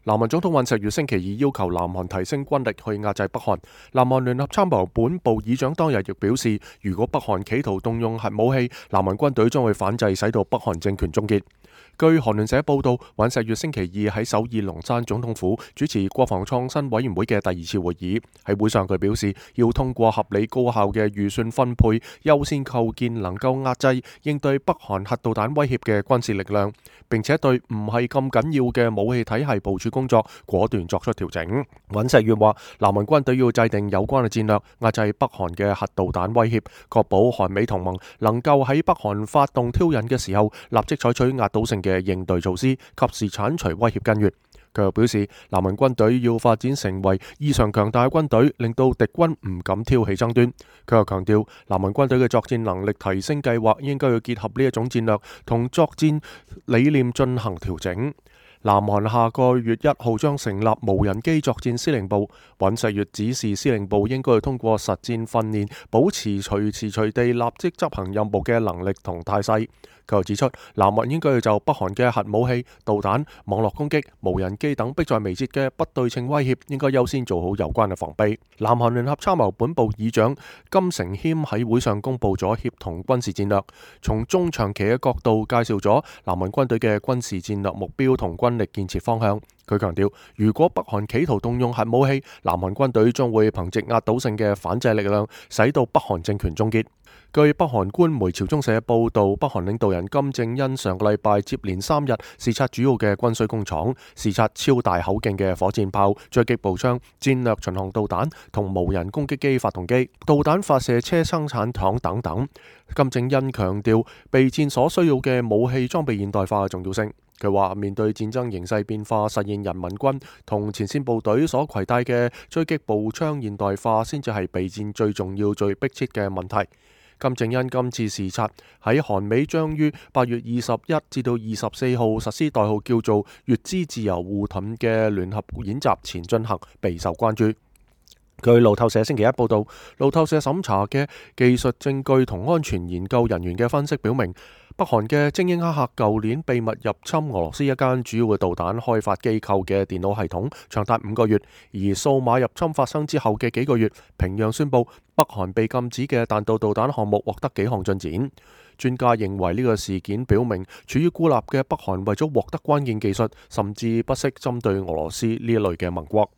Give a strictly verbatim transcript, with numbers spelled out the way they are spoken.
南韓總統尹錫悅星期二要求南韓提升軍力去壓制北韓。南韓聯合參謀本部議長當日亦表示，如果北韓企圖動用核武器，南韓軍隊將會反制，使到北韓政權終結。據韓聯社報道，尹錫悅星期二喺首爾龍山總統府主持國防創新委員會嘅第二次會議。喺會上，佢表示要通過合理高效嘅預算分配，優先構建能夠壓制應對北韓核導彈威脅嘅軍事力量，並且對唔係咁緊要嘅武器體系部署工作果斷作出調整。尹錫悅話，南韓軍隊要制定有關嘅戰略，壓制北韓嘅核導彈威脅，確保韓美同盟能夠喺北韓發動挑釁嘅時候，立即採取壓倒性嘅應對措施，及時剷除威脅根源。佢又表示，南韓軍隊要發展成為異常強大嘅軍隊，令到敵軍唔敢挑起爭端。佢又強調，南韓軍隊嘅作戰能力提升計劃應該要結合呢一種戰略同作戰理念進行調整。南韓下個月一號將成立無人機作戰司令部，尹錫悅指示司令部應該要通過實戰訓練，保持隨時隨地立即執行任務嘅能力同態勢。佢又指出，南韓應該要就北韓嘅核武器、導彈、網絡攻擊、無人機等迫在眉睫嘅不對稱威脅，應該優先做好有關嘅防備。南韓聯合參謀本部議長金成謙喺會上公布咗協同軍事戰略，從中長期嘅角度介紹咗南韓軍隊嘅軍事戰略目標同軍力建設方向。佢強調，如果北韓企圖動用核武器，南韓軍隊將會憑借壓倒性嘅反制力量，使到北韓政權終結。據北韓官媒朝中社報道，北韓領導人金正恩上個禮拜接連三日視察主要嘅軍需工廠，視察超大口徑嘅火箭炮、狙擊步槍、戰略巡航導彈同無人攻擊機發動機、導彈發射車生產廠等等。金正恩強調備戰所需要嘅武器裝備現代化嘅重要性。佢話，面對戰爭形勢變化，實現人民軍同前線部隊所攜帶嘅狙擊步槍現代化，先至係備戰最重要、最迫切嘅問題。金正恩今次視察喺韓美將於八月二十一至到二十四號實施代號叫做乙支自由護盾嘅聯合演習前進行，備受關注。據路透社星期一報道，路透社審查嘅技術證據同安全研究人員嘅分析表明，北韓嘅精英黑客舊年秘密入侵俄羅斯一間主要嘅導彈開發機構嘅電腦系統，長達五個月。而數碼入侵發生之後嘅幾個月，平壤宣布北韓被禁止嘅彈道導彈項目獲得幾項進展。專家認為呢個事件表明，處於孤立嘅北韓為咗獲得關鍵技術，甚至不惜針對俄羅斯呢一類嘅盟國。